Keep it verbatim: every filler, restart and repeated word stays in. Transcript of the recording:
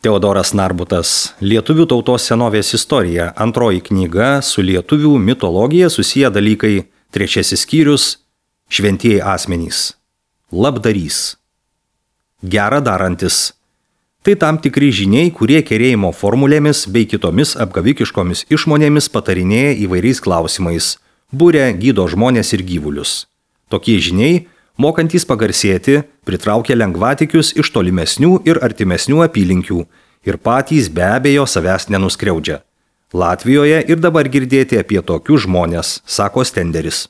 Teodoras Narbutas, Lietuvių tautos senovės istorija, antroji knyga, su lietuvių mitologija susiję dalykai, trečiasis skyrius, šventieji asmenys. Labdarys. Gera darantis. Tai tam tikri žiniai, kurie kerėjimo formulėmis bei kitomis apgavikiškomis išmonėmis patarinėja įvairiais klausimais, būria gydo žmonės ir gyvulius. Tokie žiniai, mokantys pagarsėti, pritraukia lengvatikius iš tolimesnių ir artimesnių apylinkių ir patys be abejo savęs nenuskriaudžia. Latvijoje ir dabar girdėti apie tokius žmonės, sako Stenderis.